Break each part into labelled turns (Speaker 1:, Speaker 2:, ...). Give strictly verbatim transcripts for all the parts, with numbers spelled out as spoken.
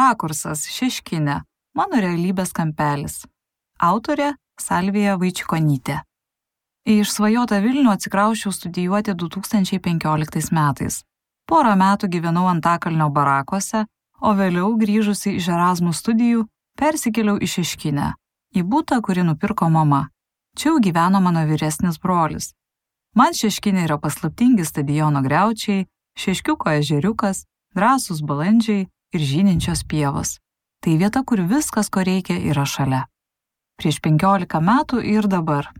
Speaker 1: Rakursas Šeškinė. Mano realybės kampelis. Autorė Salvija Vaičikonytė. Į išsvajotą Vilnių atsikrausčiau studijuoti du tūkstančiai penkioliktais metais. Porą metų gyvenau Antakalnio barakuose, o vėliau grįžusi iš Erasmus studijų persikėliau į Šeškinę, į butą, kurį nupirko mama. Čia jau gyveno mano vyresnis brolis. Man Šeškinė yra paslaptingi stadiono griaučiai, Šeškiuko ežeriukas, drąsūs balandžiai ir žyninčios pievos. Tai vieta, kur viskas, ko reikia, yra šalia. Prieš penkiolika metų ir dabar.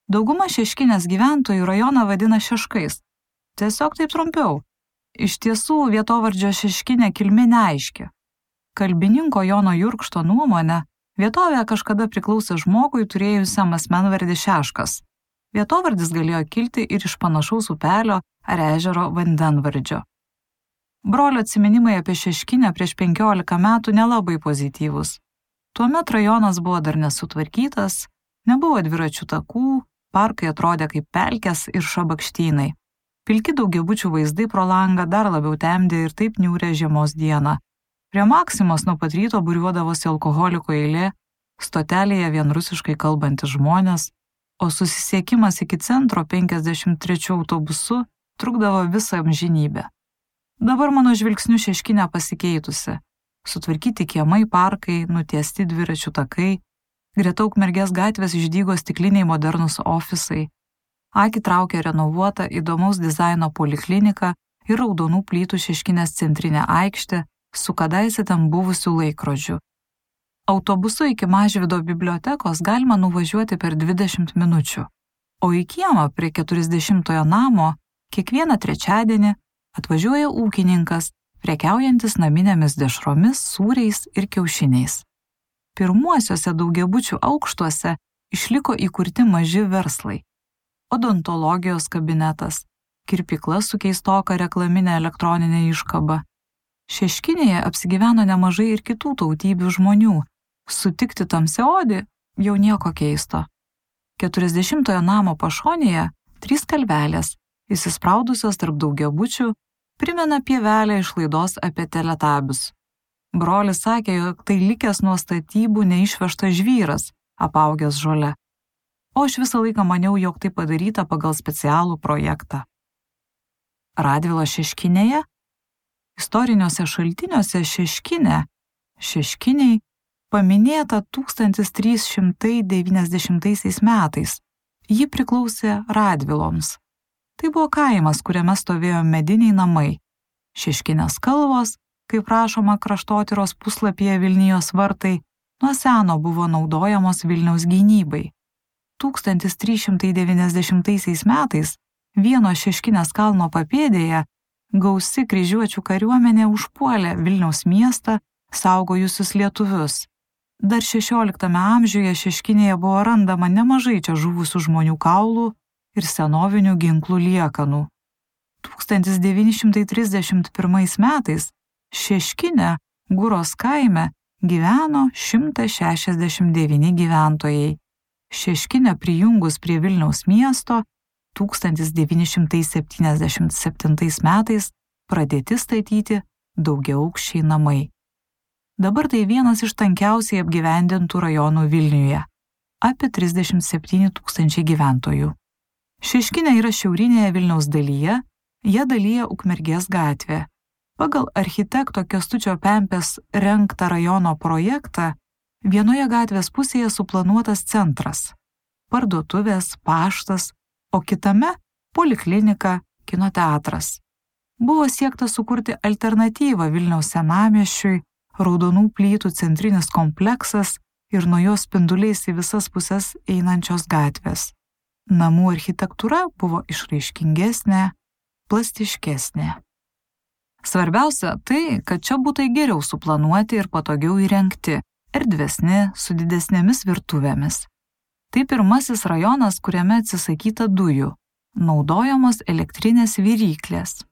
Speaker 1: Dauguma Šeškinės gyventojų rajoną vadina Šeškais. Tiesiog taip trumpiau. Iš tiesų vietovardžio Šeškinė kilmė neaiški. Kalbininko Jono Jurkšto nuomone, vietovė kažkada priklausė žmogui turėjusiam asmenvardį Šeškas. Vietovardis galėjo kilti ir iš panašaus upelio ar ežero vandenvardžio. Brolio atsiminimai apie Šeškinę prieš penkiolika metų nelabai pozityvus. Tuomet rajonas buvo dar nesutvarkytas, nebuvo dviračių takų, parkai atrodė kaip pelkės ir šabakštynai. Pilki daugiabučių vaizdai pro langą dar labiau temdė ir taip niūrė žiemos dieną. Prie Maksimos nuo pat ryto būriuodavosi alkoholiko eilė, stotelėje vien rusiškai kalbantys žmonės, o susisiekimas iki centro penkiasdešimt trečiu autobusu trukdavo visą amžinybę. Dabar mano žvilgsniu Šeškinė pasikeitusi. Sutvarkyti kiemai, parkai, nutiesti dviračių takai, greta Ukmergės gatvės išdygo stikliniai modernūs ofisai. Akį traukė renovuota įdomaus dizaino poliklinika ir raudonų plytų Šeškinės centrinė aikštė su kadaise ten buvusių laikrodžių. Autobusu iki Mažvydo bibliotekos galima nuvažiuoti per dvidešimt minučių, o į kiemą prie keturiasdešimtojo namo kiekvieną trečiadienį atvažiuoja ūkininkas, prekiaujantis naminėmis dešromis, sūriais ir kiaušiniais. Pirmuosiuose daugiabučių aukštuose išliko įkurti maži verslai. Odontologijos kabinetas, kirpykla su keistoka reklaminė elektroninė iškaba. Šeškinėje apsigyveno nemažai ir kitų tautybių žmonių. Sutikti tamsiaodį jau nieko keisto. Keturiasdešimtojo namo pašonėje trys kalvelės, įsispraudusios tarp daugiabučių, primena pievelę iš laidos apie teletabius. Brolis sakė, jog tai likęs nuo statybų neišvežtas žvyras, apaugęs žole. O aš visą laiką maniau, jog tai padaryta pagal specialų projektą. Radvilos Šeškinėje? Istoriniuose šaltiniuose Šeškinė, Šeškiniai, paminėta tūkstantis trys šimtai devyniasdešimtaisiais metais. Ji priklausė Radviloms. Tai buvo kaimas, kuriame stovėjo mediniai namai. Šeškinės kalvos, kaip rašoma kraštotyros puslapyje Vilnijos vartai, nuo seno buvo naudojamos Vilniaus gynybai. tūkstantis trys šimtai devyniasdešimtaisiais metais vieno Šeškinės kalno papėdėje gausi kryžiuočių kariuomenė užpuolė Vilniaus miestą, saugojusius lietuvius. Dar šešioliktame amžiuje Šeškinėje buvo randama nemažai čia žuvusių žmonių kaulų ir senovinių ginklų liekanų. tūkstantis devyni šimtai trisdešimt pirmais metais Šeškinė, Guros kaime, gyveno šimtas šešiasdešimt devyni gyventojai. Šeškinė prijungus prie Vilniaus miesto tūkstantis devyni šimtai septyniasdešimt septintais metais pradėti statyti daugiaaukščiai namai. Dabar tai vienas iš tankiausiai apgyvendintų rajonų Vilniuje, apie trisdešimt septyni tūkstančiai gyventojų. Šeškinė yra šiaurinėje Vilniaus dalyje, ją dalyja Ukmergės gatvė. Pagal architekto Kęstučio Pempės rengtą rajono projektą, vienoje gatvės pusėje suplanuotas centras, parduotuvės, paštas, o kitame poliklinika, kino teatras. Buvo siekta sukurti alternatyvą Vilniaus senamiesčiui, raudonų plytų centrinis kompleksas ir nuo jos spinduliais į visas puses einančios gatvės. Namų architektūra buvo išraiškingesnė, plastiškesnė. Svarbiausia tai, kad čia būtai geriau suplanuoti ir patogiau įrengti, erdvesni, su didesnėmis virtuvėmis. Tai pirmasis rajonas, kuriame atsisakyta dujų, naudojamos elektrinės viryklės.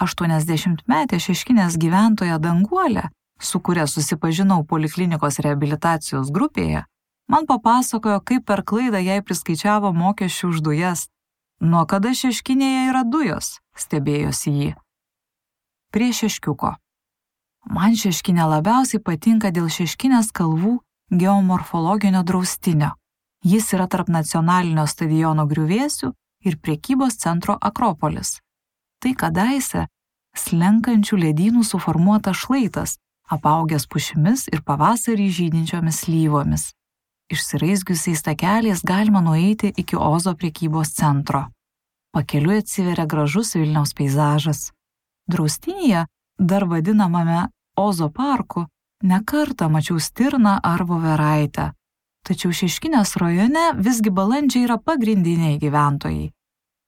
Speaker 1: aštuoniasdešimtmetė Šeškinės gyventoja Danguolė, su kuria susipažinau poliklinikos reabilitacijos grupėje, man papasakojo, kaip per klaidą jai priskaičiavo mokesčių už dujas. Nuo kada Šeškinėje yra dujos, stebėjosi ji. Prie Šeškiuko. Man Šeškinė labiausiai patinka dėl Šeškinės kalvų geomorfologinio draustinio. Jis yra tarp nacionalinio stadiono griuvėsių ir prekybos centro Akropolis. Tai kadaise slenkančių ledynų suformuotas šlaitas, apaugęs pušimis ir pavasarį žydinčiomis slyvomis. Išsiraizgiusiais takeliais galima nueiti iki Ozo prekybos centro. Pakeliui atsiveria gražus Vilniaus peizažas. Draustinyje, dar vadinamame Ozo parku, ne kartą mačiau stirną ar voveraitę. Tačiau Šeškinės rajone visgi balandžiai yra pagrindiniai gyventojai.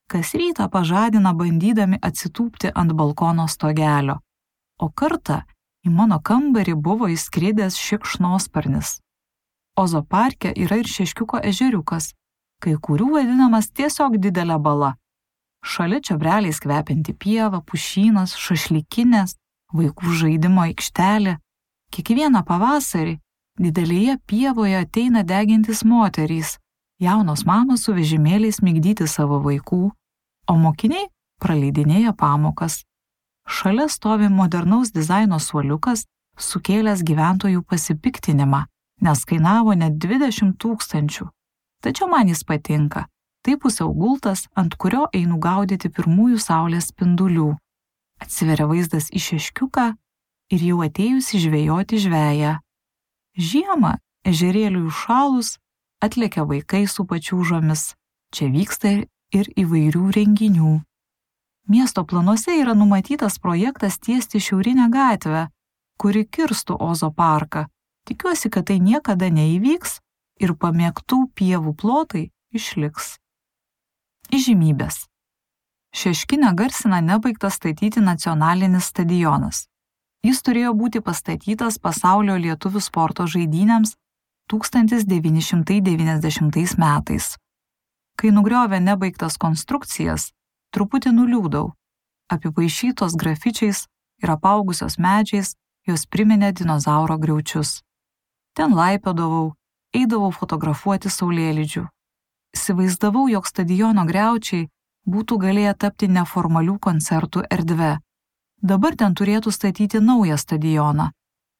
Speaker 1: Kas rytą pažadina bandydami atsitūpti ant balkono stogelio. O kartą į mano kambarį buvo įskridęs šikšnosparnis. Ozo parke yra ir Šeškiuko ežeriukas, kai kurių vadinamas tiesiog didelė bala. Šalia čiobreliais kvepianti pieva, pušynas, šašlykinės, vaikų žaidimo aikštelė. Kiekvieną pavasarį didelėje pievoje ateina degintis moterys, jaunos mamos su vežimėliais migdyti savo vaikų, o mokiniai praleidinėja pamokas. Šalia stovi modernaus dizaino suoliukas, sukėlęs gyventojų pasipiktinimą, nes kainavo net dvidešimt tūkstančių. Tačiau man jis patinka. Tai pusiau gultas, ant kurio einu gaudyti pirmųjų saulės spindulių. Atsiveria vaizdas į Šeškiuką ir jau atėjusi žvejoti žveją. Žiemą, ežerėliui užšalus, atlekia vaikai su pačiūžomis. Čia vyksta ir įvairių renginių. Miesto planuose yra numatytas projektas tiesti šiaurinę gatvę, kuri kirstų Ozo parką. Tikiuosi, kad tai niekada neįvyks ir pamėgtų pievų plotai išliks. Įžymybės. Šeškinę garsina nebaigtas statyti nacionalinis stadionas. Jis turėjo būti pastatytas pasaulio lietuvių sporto žaidynėms tūkstantis devyni šimtai devyniasdešimtais metais. Kai nugriovė nebaigtas konstrukcijas, truputį nuliūdau. Apipaišytos grafičiais ir apaugusios medžiais, jos priminė dinozauro griaučius. Ten laipiodavau, eidavau fotografuoti saulėlydžių. Įsivaizdavau, jog stadiono griaučiai būtų galėję tapti neformalių koncertų erdve. Dabar ten turėtų statyti naują stadioną.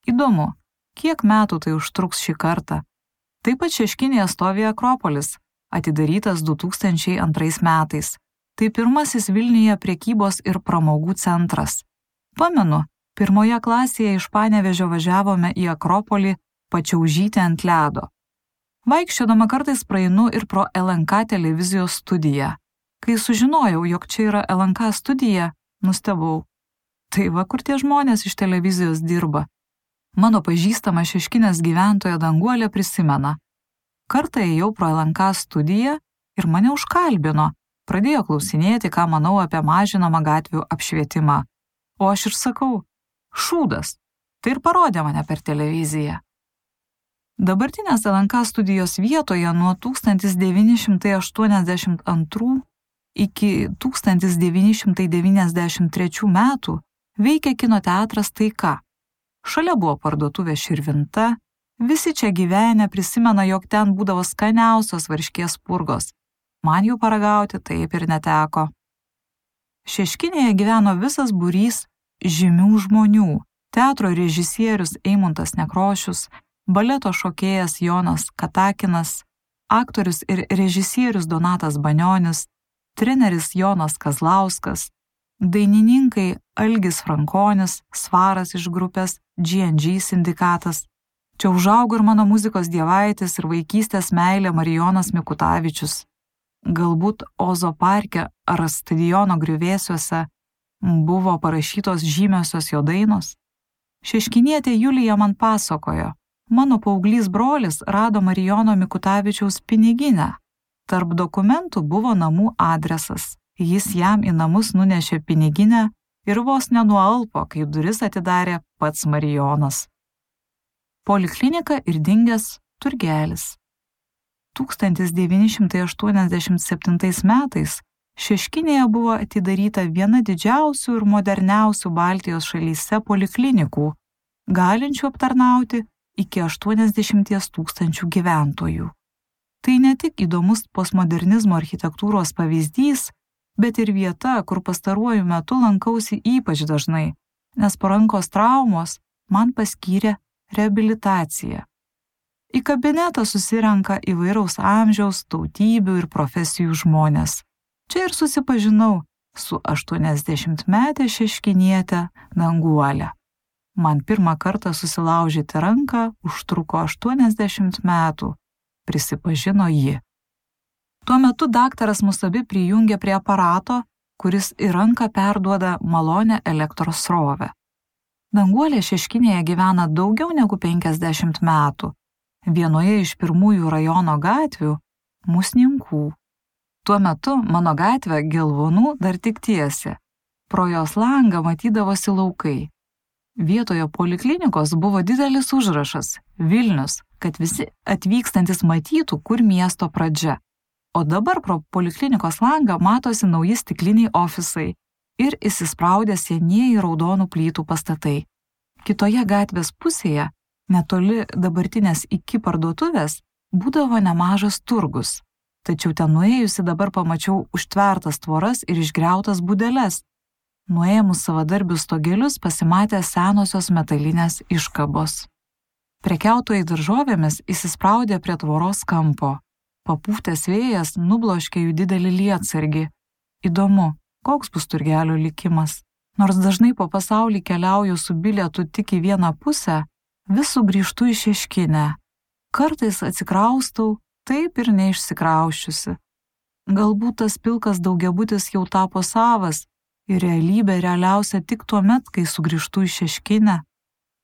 Speaker 1: Įdomu, kiek metų tai užtruks šį kartą. Taip pat Šeškinėje stovi Akropolis, atidarytas du tūkstančiai antrais metais. Tai pirmasis Vilniuje prekybos ir pramogų centras. Pamenu, pirmoje klasėje iš Panevėžio važiavome į Akropolį pačiaužyti ant ledo. Vaikščiodama kartais praeinu ir pro L N K televizijos studiją. Kai sužinojau, jog čia yra L N K studija, nustebau. Tai va, kur tie žmonės iš televizijos dirba. Mano pažįstama Šeškinės gyventoja Danguolė prisimena. Kartą ėjau pro L N K studiją ir mane užkalbino. Pradėjo klausinėti, ką manau apie mažinamą gatvių apšvietimą. O aš ir sakau, šūdas. Tai ir parodė mane per televiziją. Dabartinės L N K studijos vietoje nuo tūkstantis devyni šimtai aštuoniasdešimt antrų iki tūkstantis devyni šimtai devyniasdešimt trečių metų veikia kino teatras Taika. Šalia buvo parduotuvė Širvinta, visi čia gyvenę prisimena, jog ten būdavo skaniausios varškės purgos. Man jų paragauti taip ir neteko. Šeškinėje gyveno visas būrys žymių žmonių. Teatro režisierius Eimuntas Nekrošius, baleto šokėjas Jonas Katakinas, aktorius ir režisierius Donatas Banionis, treneris Jonas Kazlauskas, dainininkai Algis Frankonis, Svaras iš grupės G and G sindikatas. Čia užaugo ir mano muzikos dievaitis ir vaikystės meilė Marijonas Mikutavičius. Galbūt Ozo parke ar stadiono griuvėsiuose buvo parašytos žymiosios jo dainos. Šeškinietė Julija man pasakojo, mano paauglys brolis rado Marijono Mikutavičiaus piniginę. Tarp dokumentų buvo namų adresas. Jis jam į namus nunešė piniginę ir vos nenualpo, kai duris atidarė pats Marijonas. Poliklinika ir dingęs turgelis. tūkstantis devyni šimtai aštuoniasdešimt septintais metais Šeškinėje buvo atidaryta viena didžiausių ir moderniausių Baltijos šalyse poliklinikų, galinčių aptarnauti iki aštuoniasdešimties tūkstančių gyventojų. Tai ne tik įdomus postmodernizmo architektūros pavyzdys, bet ir vieta, kur pastaruoju metu lankausi ypač dažnai, nes po rankos traumos man paskyrė reabilitaciją. Į kabinetą susirenka įvairaus amžiaus, tautybių ir profesijų žmonės. Čia ir susipažinau su aštuoniasdešimtmetė šeškinietė Danguolė. Man pirmą kartą susilaužyti ranką užtruko aštuoniasdešimt metų, prisipažino ji. Tuo metu daktaras mus abi prijungė prie aparato, kuris į ranką perduoda malonę elektros srovę. Danguolė Šeškinėje gyvena daugiau negu penkiasdešimt metų. Vienoje iš pirmųjų rajono gatvių – Musninkų. Tuo metu mano gatvė Gelvonų dar tik tiesė. Pro jos langą matydavosi laukai. Vietoje poliklinikos buvo didelis užrašas – Vilnius, kad visi atvykstantis matytų, kur miesto pradžia. O dabar pro poliklinikos langą matosi nauji stikliniai ofisai ir įsispraudę senieji raudonų plytų pastatai. Kitoje gatvės pusėje, netoli dabartinės iki parduotuvės, būdavo nemažas turgus. Tačiau ten nuėjusi dabar pamačiau užtvertas tvoras ir išgriautas būdeles. Nuėmus savadarbius stogelius pasimatė senosios metalinės iškabos. Prekiautojai daržovėmis įsispraudė prie tvoros kampo. Papūtęs vėjas nubloškė jų didelį lietsargį. Įdomu, koks bus turgelio likimas. Nors dažnai po pasaulį keliauju su bilietu tik į vieną pusę, vis sugrįžtu į Šeškinę. Kartais atsikraustau, taip ir neišsikrausčiusi. Galbūt tas pilkas daugiabutis jau tapo savas ir realybė realiausia tik tuo met, kai sugrįžtu į Šeškinę.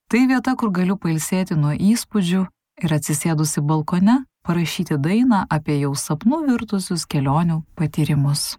Speaker 1: Tai vieta, kur galiu pailsėti nuo įspūdžių ir atsisėdusi balkone parašyti dainą apie jau sapnų virtusius kelionių patyrimus.